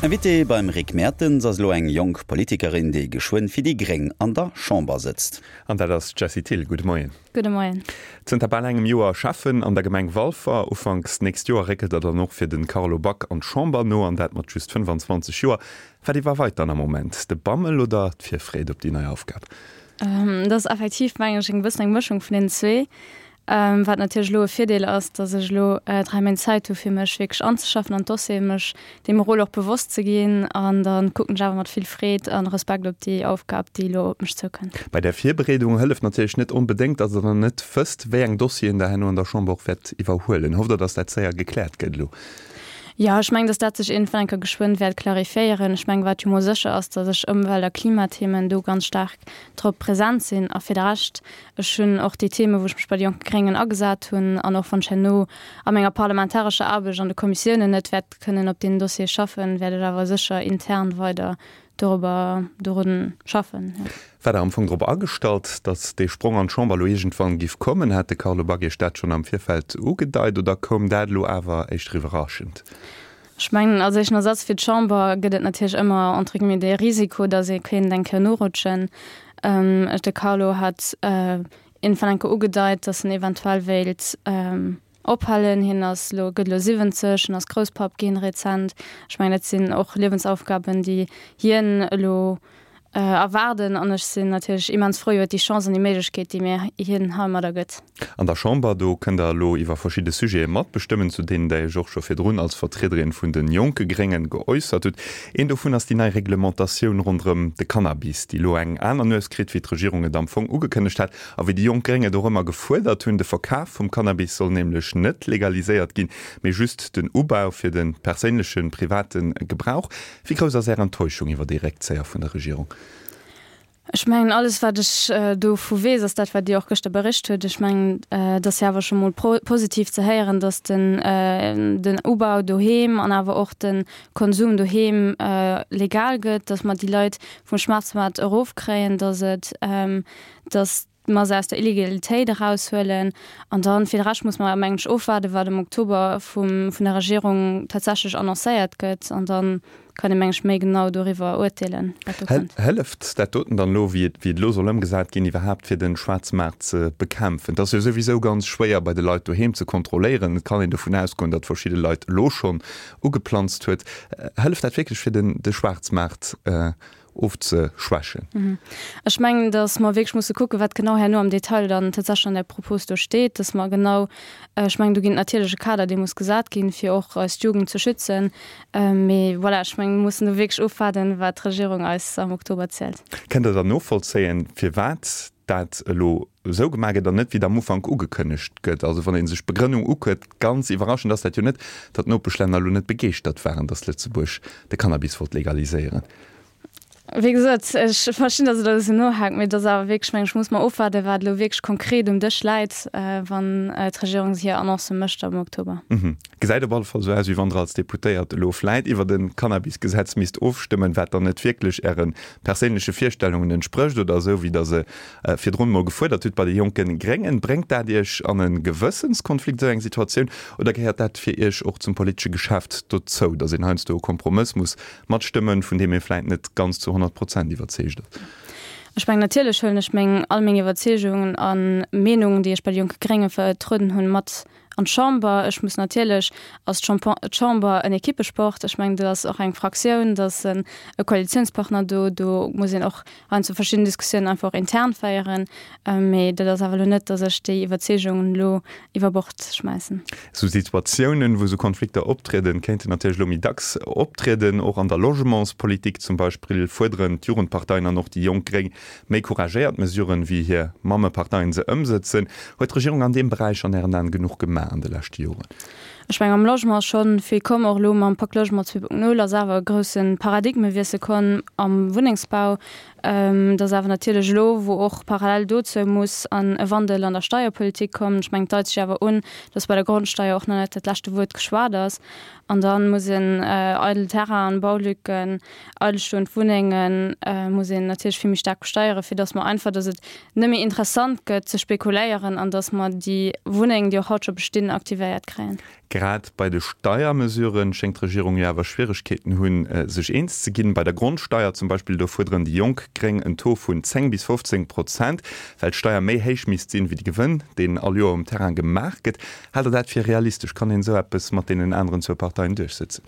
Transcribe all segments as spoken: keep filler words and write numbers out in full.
Invité beim Rick Mertens ass elo eng jonk Politikerin, déi geschwënn fir déi Gréng an der Chamber sëtzt. An dat ass d'Jessie Thill. Gudde Moien. Gudde Moien. Zënter bal engem Joer Schäffen an der Gemeng Walfer. Ufanks nächst Joer réckelt Der dann och fir de Carlo Back an d'Chamber no, an dat mat just fënnefanzwanzeg Joer. Wat iwwerweit dann am Moment, de Bammel oder d'Virfreed op déi nei Aufgab? Dat ass effektiv, mengen ech, eng bëssen eng Mëschung vun deenen zwee. Wat natierlech elo e Virdeel ass, datt ech elo dräi Méint Zäit hu fir mech wierklech anzeschaffen an d'Dossieren, mech deem Rôle och bewosst ze ginn. An da kucken ech awer mat vill Freed a Respekt op déi Aufgab, déi elo op mech zoukënnt. Bei där Virbereedung hëlleft natierlech net onbedéngt, datt Der nach net wësst, wéi eng Dossieren Der herno an der Chamber och wäert iwwerhuelen. Hofft Der, datt dat séier gekläert gëtt elo? Jo, ech mengen, datt dat sech iergendwann eng Kéier geschwënn wäert clarifiéieren. Ech mengen, wat jo mol sécher ass, datt ech Ëmwelt a Klimathemen do ganz staark drop present sinn. A fir de Rescht, ech hunn och déi Themen, wou ech mech bei de Jonke Gréngen agesat hunn, an och wann ech herno a menger parlamentarescher Aarbecht an de Kommissiounen net wäert kënnen op deenen Dossiere schaffen, wäert ech awer sécher intern weider dorobber, dorun schaffen, jo. War Der am Fong drop agestallt, datt dee Sprong an d'Chamber elo iergendwann giff kommen? Hat de Carlo Back Iech dat schonn am Virfeld ugedeit oder koum dat elo awer éischter iwwerraschend? Ech mengen, als éischten Ersatz fir d'Chamber gëtt et natierlech ëmmer, entre guillemets, dee Risiko, datt ee kéint eng Kéier norutschen. De Carlo hat iergendwann eng Kéier ugedeit, datt en eventuell wéilt ophalen. Hien ass elo, gëtt elo siwwenzeg, en ass Grousspapp ginn rezent. Ech mengen, dat sinn och Liewensaufgaben, déi hien elo erwaarden. An ech sinn natierlech immens frou iwwer déi Chance an déi Méiglechkeet, déi mir hien heimadder gëtt. An der Chamber, do kënnt Der elo iwwer verschidde Sujete matbestëmmen, zu deenen Der Iech och scho virdrun als Vertriederin vun de jonke Gréngen geäussert hutt. Een dovun ass déi nei Reglementatioun ronderëm de Cannabis, déi elo eng aner Nues kritt, wéi d'Regierung et am Fong ugekënnegt hat a wéi déi jonk Gréng et och ëmmer gefuerdert hunn. De Verkaf vum Cannabis soll nämlech net legaliséiert ginn, mee just den Ubau fir de perséinlechen, private Gebrauch. Wéi grouss ass Är Enttäuschung iwwer dee Réckzéier vun der Regierung? Ech mengen, alles wat ech dovu weess, ass dat, wat Dir och gëschter bericht hutt. Ech mengen, et ass jo awer scho mol positiv ze héieren, datt den den Ubau doheem an awer och de Konsum doheem legal gëtt, datt mer déi Leit vum Schwarzmaart erofkréien, datt et, datt mer se aus der Illegalitéit eraushuelen. An dann, fir de Rescht muss mer, mengen ech, ofwaarden, wat am Oktober vum, vun der Regierung tatsächlech annoncéiert gëtt. An da kann ee, mengen ech, méi genau doriwwer urteelen, wat do kënnt. Hëlleft dat doten dann elo, wéi et, wéi et elo soll ëmgesat ginn, iwwerhaapt fir de Schwaarzmaart ze bekämpfen? Et ass jo souwisou ganz schwéier bei de Leit doheem ze kontrolléieren. Et kann een dovun ausgoen, datt verschidde Leit elo schonn ugeplanzt huet. Hëlleft dat wierklech fir den, de Schwaarzmaart ofzeschwächen? Ech mengen, datt mer wierklech musse kucken, wat genau herno am Detail dann tatsächlech an där Propos do steet, datt mer genau, ech mengen, do ginn et natierlech e Kader, dee muss gesat ginn, fir och eis Jugend ze schützen. Mee voilà, ech mengen, mir mussen do wierklech ofwaarden, wat d'Regierung eis am Oktober zielt. Kënnt Der dann novollzéien, firwat dat elo esou gemaach gëtt an net, wéi et am Ufank ugekënnegt gëtt? Also wann ee sech d'Begrënnung ukuckt, ganz iwwerraschend ass dat jo net, datt d'Nopeschlänner elo net begeeschtert waren, datt Lëtzebuerg de Cannabis wollt legaliséieren. Wéi gesot, ech verstinn, datt et elo e bëssen nohaakt, mee et ass awer wierklech, mengen ech, muss mer ofwaarden, wat elo wierklech konkret um Dësch läit, wann d'Regierung hir Annoncë mécht am Oktober. Gesäit op alle Fall esou aus, wéi wann Der als Deputéiert elo vläit iwwert e Cannabisgesetz misst ofstëmmen, wat dann net wierklech Äre perséinleche Virstellungen entsprécht oder esou, wéi Der se virdrun emol gefuerdert hutt bei de Jonke Gréngen. Bréngt dat Iech an e Gewëssenskonflikt, esou eng Situatioun, oder gehéiert dat fir Iech och zum politesche Geschäft dozou, datt een heiansdo e Kompromëss muss matstëmmen, vun deem ee vläit net ganz zu honnert Prozent iwwerzeegt ass? Ech mengen, natierlech huelen ech meng, all meng Iwwerzeegungen a Meenungen, déi ech bei de Jonke Grénge vertrueden hunn, mat an d'Chamber. Ech muss natierlech, ass d'Chamber en Ekippesport. Ech mengen, do ass och eng Fraktioun, do ass e Koalitiounspartner do, do muss een och heiansdo verschidden Diskussiounen einfach och intern féieren. Mee dat ass awer elo net, datt ech déi Iwwerzeegungen elo iwwer Bord schmäissen. Esou Situatiounen, wou esou Konflikter optrieden, kéinten natierlech elo méi dacks optrieden. Och an der Logementspolitik zum Beispill fuerderen d'Jugendparteien an och déi jonk Gréng méi couragéiert Mesuren, wéi hir Mammeparteien se ëmsëtzen. Huet d'Regierung an deem Beräich an Ären Aen genuch gemaach an de leschte Joren? Ech mengen, am Logement ass scho vill komm. Och elo mam Pak Logement zwee Punkt null ass awer e grousse Paradigmewiessel komm am Wunnengsbau. Et ass awer natierlech elo, wou och parallel dozou muss an e Wandel an der Steierpolitik kommen. Ech mengen, et deit sech awer un, dass bei der Grondsteier och nach net dat leschte Wuert geschwat ass. An da muss een eidel Terrainen, Baulücken, eidelstoend Wunnengen muss een natierlech vill méi staark besteieren, fir dass mer einfach, dass et net méi interessant gëtt ze spekuléieren an dass mer déi Wunnengen, déi och haut scho bestinn, aktivéiert kréien. Grad bei de Steiermesuren schéngt d'Regierung jo awer Schwieregkeeten hunn, sech eens ze ginn. Bei der Grondsteier zum Beispill, do fuerderen déi jonk Gréng en Taux vun zéng bis fofzéng Prozent, well d'Steier méi héich misst sinn, wéi de Gewënn, deen all Joer um Terrain gemaach gëtt. Haalt Der dat fir realistesch? Kann een esou eppes mat deenen aneren zwou Parteien duerchsëtzen?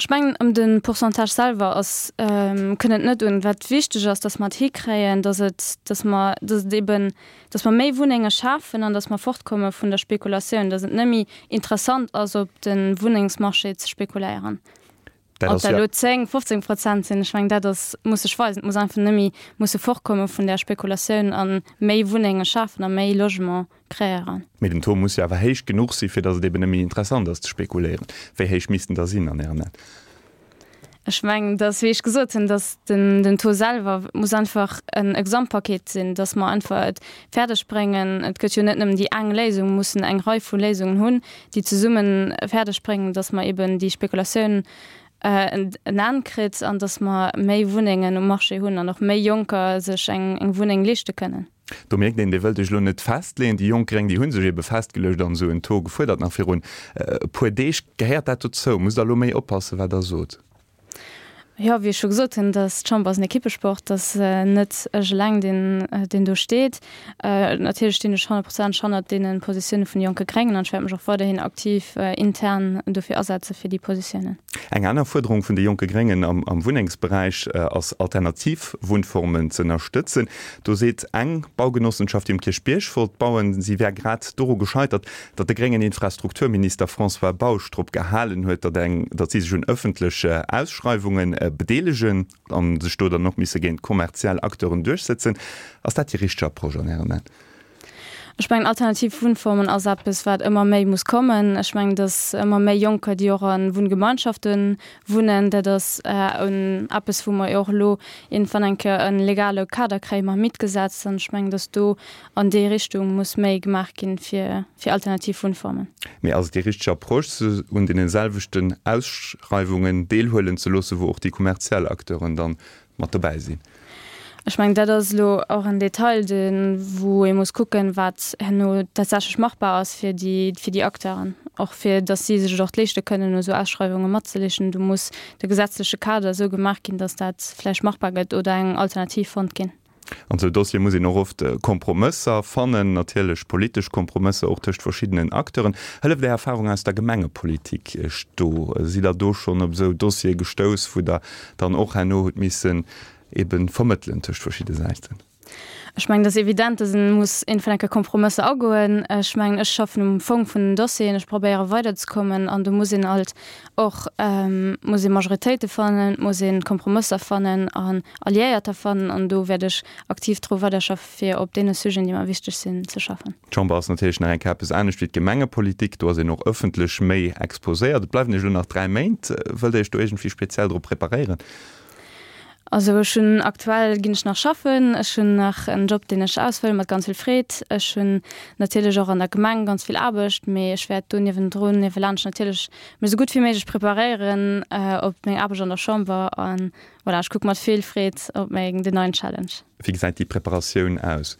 Ech mengen, ëm de Pourcentage selwer ass, kënnt et net un. Wat wichteg ass, datt mer et hikréien, datt et, datt mer, datt et eben, datt mer méi Wunnenge schafen an datt mer fortkomme vun der Spekulatioun, datt et net méi interessant ass, op de Wunnengsmarché ze spekuléieren. Ob dat elo zéng, fofzéng Prozent sinn, ech mengen, dat ass, muss sech weisen. Et muss einfach net méi musse fortkomme vun där Spekulatioun a méi Wunnenge schafen a méi Logement kreéieren. Mee den Taux muss jo awer héich genuch si fir datt et eben net méi interessant ass ze spekuléieren. Wéi héich misst en da sinn an Ären Aen? Ech mengen, datt, wéi ech gesot hunn, datt den den Taux selwer muss einfach en e Gesamtpaket sinn, datt mer einfach et fäerdeg bréngen, et gëtt jo net nëmmen déi eng Léisung, mer mussen eng Rei vu Léisungen hunn, déi zesumme fäerdeg bréngen, datt mer eben déi Spekulatioun en Enn kritt an datt mer méi Wunnengen um Marché hunn an och méi Jonker sech eng Wunneng leeschte kënnen. Do mierkt een, Dir wëllt Iech elo net festleeën. Déi jonk Gréng, déi hu sech ebe festgeluecht an esou en Taux gefuerdert nach virun e puer Deeg. Gehéiert dat dozou? Musst Der elo méi oppassen, wat Der sot? Jo, wéi ech scho gesot hunn, dass d'Chamber ass en Ekippesport, dass net ech eleng deen, deen do steet. Natierlech stinn ech honnertprozenteg hannert deene Positioune vun de Jonke Gréngen an ech wäert mech och weiderhin aktiv intern dofir asetze fir déi Positiounen. Eng aner Fuerderung vun de Jonke Gréngen am Wunnengsberäich ass, alternativ Wunnformen ze ënnerstëtzen. Do seet eng Baugenossenschaft, déi um Kierchbierg wollt bauen, si wär grad doru gescheitert, datt de gréngen Infrastrukturminister François Bausch drop gehalen huet, datt eng, datt si sech un ëffentlech Ausschreiwunge bedeelegen a sech do dann och misse géint kommerziell Acteuren duerchsëtzen. Ass dat déi richteg Approche an Ären Aen? Ech mengen, alternativ Wunnformen ass eppes, wat ëmmer méi muss kommen. Ech mengen, datt ëmmer méi Jonker, déi och a Wunngemeinschafte wunnen, dat ass eppes, wou mer jo och elo iergendwann eng Kéier e legale Kader kréie mam Mietgesetz. An ech mengen, datt do an déi Richtung muss méi gemaach ginn, fir alternativ Wunnformen. Mee ass et déi richteg Approche, se un deene selwechten Ausschreiwungen deelhuelen ze loossen, wou och déi kommerziell Acteuren dann mat dobäi sinn? Ech mengen, dat ass elo och en Detail, dee wou ee muss kucken, wat herno tatsächlech machbar ass fir déi, fir déi Acteuren, och fir datt si sech et och leeschte kënnen, u esou Ausschreiwunge matzelichten. Do muss de gesetzleche Kader esou gemaach ginn, datt dat vläicht machbar gëtt oder eng Alternativ fonnt ginn. An esou Dossiere muss een och oft Kompromësser fannen, natierlech politesch Kompromësser och tëscht verschiddenen Acteuren. Hëlleft Är Erfarung aus der Gemengepolitik Iech do? Sidd Der do schonn op esou Dossiere gestouss, wou Der dann och herno hutt missen ebe vermëttelen tëscht verschidde Säiten? Ech mengen, et ass evident, datt ee muss iergendwann eng Kéier Kompromësser agoen. Ech mengen, ech schaffen um Fong vun den Dossieren, ech probéiere weiderzekommen an do muss een alt och muss ee Majoritéite fannen, et muss ee Kompromësser fannen an Alliéierter fannen an do wäert ech aktiv dru weiderschaffe fir op deene Sujeten, déi mer wichteg sinn, ze schaffen. D'Chamber ass natierlech nach eng Kéier eppes anescht wéi d'Gemengepolitik, do ass een och ëffentlech méi exposéiert. Et bleiwen Iech elo nach dräi Méint. Wëllt Der Iech do iergendwéi speziell drop preparéieren? Also ech hunn aktuell ginn ech nach schaffen, ech hunn nach en Job deen ech ausfëllen mat ganz vill Freed. Ech hunn natierlech och an der Gemeng ganz vill Aarbecht, mee ech wäert do niewendrun, niewelaanscht natierlech mech esou gutt wéi méiglech preparéieren op meng Aarbecht an der Chamber an voilà, ech kucke mat vill Freed op meng den neien Challenge. Wéi gesäit déi Preparatioun aus?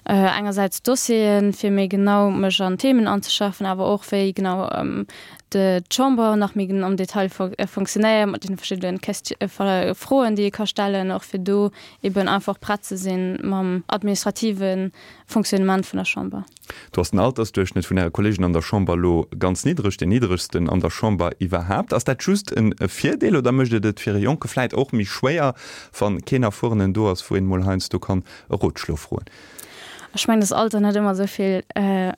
Engersäits d'Dossieren, fir méi genau mech an d'Themen anzeschaffen, awer och wéi genau d'Chamber nach méi am Detail fonctionnéiert, mat deene verschiddene Froen, déi ee ka stellen, och fir do eben einfach prett ze sinn mam administrative Fonctionnement vun der Chamber. Do ass den Altersduerchschnëtt vun Äre Kollegen an der Chamber elo ganz niddreg, deen niddregsten an der Chamber iwwerhaapt. Ass dat just e Virdeel oder mécht et et fir e Jonke vläit och méi schwéier, wa keen Erfuerenen do ass, wou een emol heiansdo kann e Rotschlo froen? Ech mengen, dass Alter net ëmmer esou vill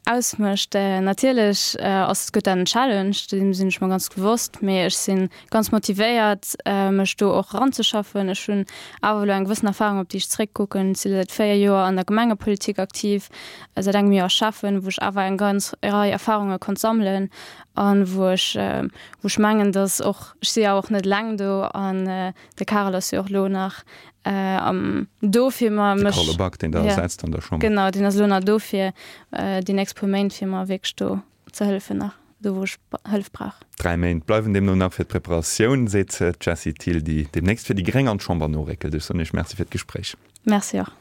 ausmécht. Natierlech ass, gëtt dat en Challenge, deem sinn ech mer ganz bewosst, mee ech si ganz motivéiert, mech do och eranzeschaffen. Ech hunn awer elo eng gewëssen Erfahrung, op déi ech zeréckkucken. Ech si säit véier Joer an der Gemengepolitik aktiv, säit engem Joer Schäffen, wou ech awer eng ganz Rei Erfahrunge konnt sammelen an wou ech, wou ech mengen, dass och, ech si jo och net eleng do an de Karel ass jo och elo nach am do fir mer mech. De Carlo Back, deen der ersetzt an der Chamber. Genau, deen ass elo nach do fir déi nächst puer Méint fir mer wierklech do ze hëllefen nach do wou ech Hëllef brauch. Dräi Méint bleiwen deemno nach fir d'Preparatioun, seet d'Jessie Thill, déi deemnächst fir déi gréng an d'Chamber noréckelt. Ech soen Iech Merci fir d'Gespréich. Merci och.